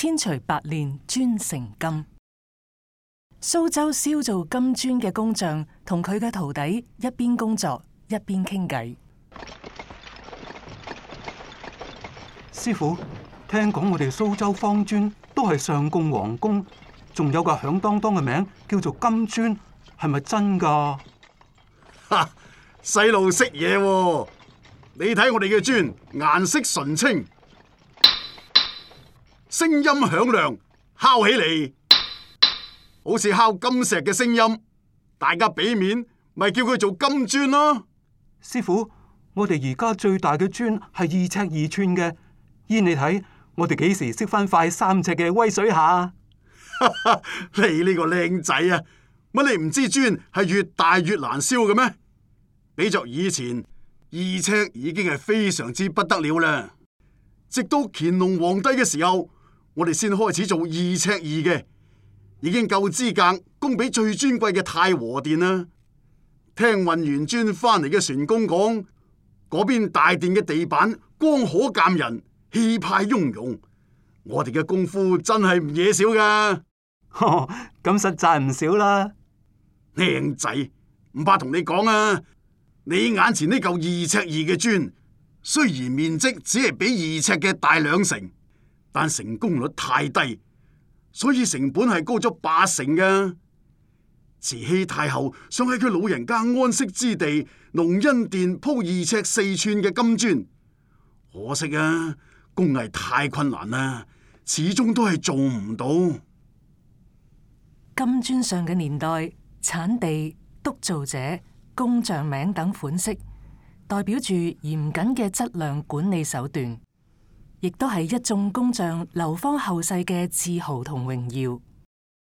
千錘百煉專成金。蘇州燒造金磚嘅工匠同佢嘅徒弟一邊工作一邊傾偈。師傅，聽講我哋蘇州方磚都係上貢皇宮，仲有個響當當嘅名叫做金磚，係咪真噶？哈，細路識嘢喎！你睇我哋嘅磚，顏色純青，聲音響亮，敲起嚟好似敲金石嘅聲音，大家俾面咪叫佢做金磚咯。師傅，我哋而家最大嘅磚係2尺2寸嘅，依你睇，我哋幾時識翻塊3尺嘅威水下？你呢個靚仔啊，乜你唔知磚係越大越難燒嘅咩？比作以前2尺已經係非常之不得了啦。直到乾隆皇帝嘅時候，我哋先開始做2尺2嘅，已經夠資格供俾最尊貴嘅太和殿啦。聽運完磚翻嚟嘅船工講，嗰邊大殿嘅地板光可鑑人，氣派雍容。我哋嘅功夫真係唔嘢少噶。咁實在唔少啦。靚仔，唔怕同你講啊，你眼前呢嚿2尺2嘅磚，雖然面積只係比2尺嘅大2成，但成功率太低，所以成本係高咗8成噶。慈禧太后想喺佢老人家安息之地隆恩殿鋪2尺4寸嘅金磚，可惜啊，工藝太困難啦，始終都係做唔到。金磚上嘅年代、產地、督造者、工匠名等款式，代表住嚴謹嘅質量管理手段，亦都係一眾工匠流芳後世嘅自豪同榮耀。